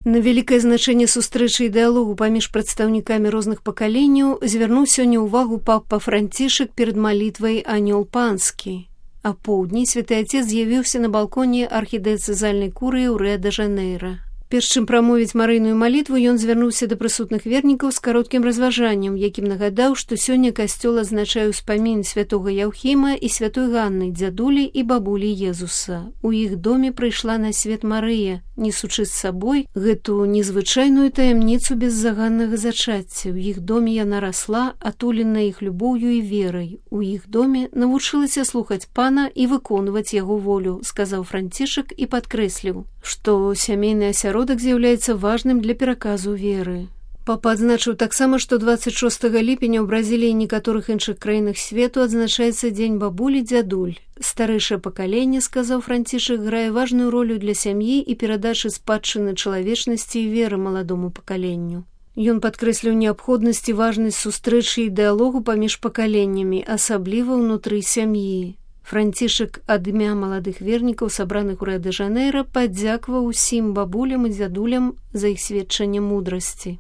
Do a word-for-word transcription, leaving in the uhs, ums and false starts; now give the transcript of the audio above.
На вялікае значэнне сустрэчы і дыялогу паміж прадстаўнікамі розных пакаленняў звярнуў сёння ўвагу папа Францішак перад малітвай «Анёл панскі». А поўдні святы Отец з'явіўся на балконе архідыяцэзальнай курыі ў Рыа-дэ-Жанэйра. Перш чым прамовіць марыйную малітву, ён звярнуўся да прысутных вернікаў з кароткім разважаннем, якім нагадаў, што сёння касцёл адзначае ўспамін святога Яўхіма і святой Ганны, дзядулі і бабулі Езуса. У іх доме прыйшла на свет Марыя, несучы з сабой гэту незвычайную таямніцу беззаганнага зачацця. У іх доме яна расла, атуленая іх любоўю і верай. У іх доме навучылася слухаць пана і выконваць яго волю, сказаў Францішак і падкрэсліў, што сямейны асяродак з'яўляецца важным для пераказу веры. Папа адзначыў таксама, што дваццаць шостага ліпеня ў Бразіліі і некаторых іншых краінах свету адзначаецца дзень бабулі-дзядуль. Старэйшае пакаленне, сказаў Францішак, грае важную ролю для сям'і і перадачы спадчыны чалавечнасці і веры маладому пакаленню. Ён падкрэсліў неабходнасць і важнасць сустрэчы і дыялогу паміж пакаленнямі, асабліва ўнутры сям'і. Францішак ад імя маладых вернікаў, сабраных у Рыа-дэ-Жанэйра, падзякаваў усім бабулям і дзядулям за іх сведчанне мудрасці.